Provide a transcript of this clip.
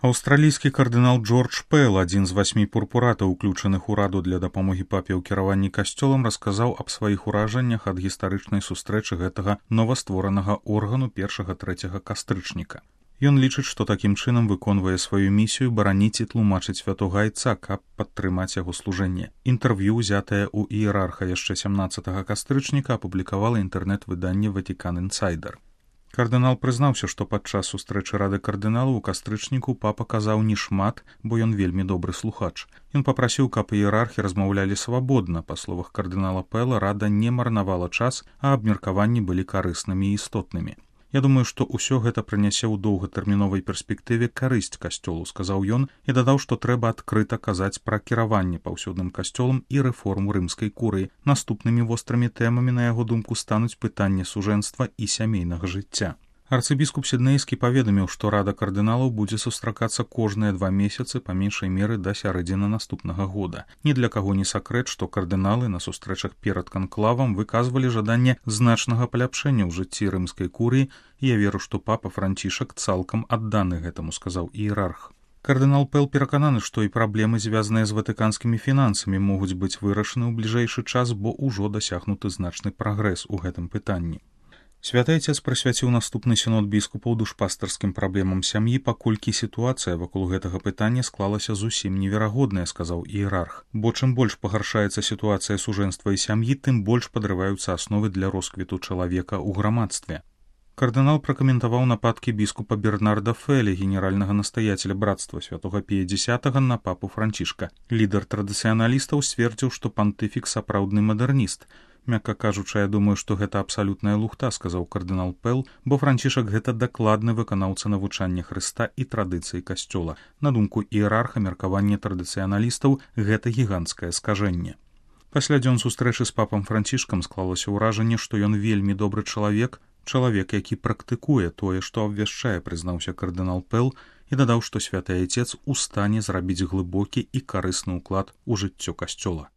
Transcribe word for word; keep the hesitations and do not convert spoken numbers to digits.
Аўстралійскі кардынал Джордж Пэл, адзін з васьмі пурпуратаў, уключаных у раду для дапамогі папе ў кіраванні касцёлам, расказаў аб сваіх уражаннях ад гістарычнай сустрэчы гэтага новастворанага органу першага-трэцяга кастрычніка. Ён лічыць, што такім чынам выконвае сваю місію бараніць і тлумачыць святога айца, каб падтрымаць яго служэнне. Інтэрв'ю, узятае ў іерарха яшчэ сямнаццатага кастрычніка, апублікавала інтэрнэт-выданне Vatican Insider. Кардынал прызнаўся, што падчас сустрэчы рады кардыналаў у кастрычніку папа казаў не шмат, бо ён вельмі добры слухач. Ён папрасіў, каб іерархі размаўлялі свабодна. Па словах кардынала Пэла, рада не марнавала час, а абмеркаванні былі карыснымі і істотнымі. «Я думаю, што ўсё гэта прынясе ў доўгатэрміновай перспектыве карысць касцёлу», сказаў ён і дадаў, што трэба адкрыта казаць пра кіраванне паўсюдным касцёлам і рэформу рымскай курыі. Наступнымі вострымі тэмамі, на яго думку, стануць пытанне сужэнства і сямейнага жыцця. Арцыбіскуп Сіднейскі паведаміў, што рада кардыналаў будзе сустракацца кожныя два месяцы па меншай меры да сярэдзіны наступнага года. Ні для каго не сакрэт, што кардыналы на сустрэчах перад канклавам выказвалі жаданне значнага паляпшэння ў жыцці рымскай курыі, і я веру, што папа Францішак цалкам адданы гэтаму, сказаў іерарх. Кардынал Пэл перакананы, што і праблемы, звязаныя з ватыканскімі фінансамі, могуць быць вырашаны ў бліжэйшы час, бо ўжо дасягнуты значны прагрэс у гэтым пытанні. Святы Айцец прысвяціў наступны сінод біскупаў душпастарскім праблемам сям'і, паколькі сітуацыя вакол гэтага пытання склалася зусім неверагодная, сказаў іерарх. Бо чым больш пагаршаецца сітуацыя сужэнства і сям'і, тым больш падрываюцца асновы для росквіту чалавека ў грамадстве. Кардынал пракаментаваў нападкі біскупа Бернарда Фэлі, генеральнага настаяцеля братства святога Пія Дзесятага, на папу Францішка. Лідар традыцыяналістаў сцвердзіў, што пантыфік сапраўдны мадэрніст. «Мякка кажучы, я думаю, што гэта абсалютная лухта», сказаў кардынал Пэл, бо Францішак гэта дакладны выканаўца навучання Хрыста і традыцыі касцёла. На думку іерарха, меркаванне традыцыяналістаў гэта гіганцкае скажэнне. Пасля дзён сустрэчы з папам Францішкам склалася ўражанне, што ён вельмі добры чалавек, чалавек, які практыкуе тое, што абвяшчае, прызнаўся кардынал Пэл і дадаў, што святы Айцец у стане зрабіць глыбокі і карысны ўклад у жыццё касцёла.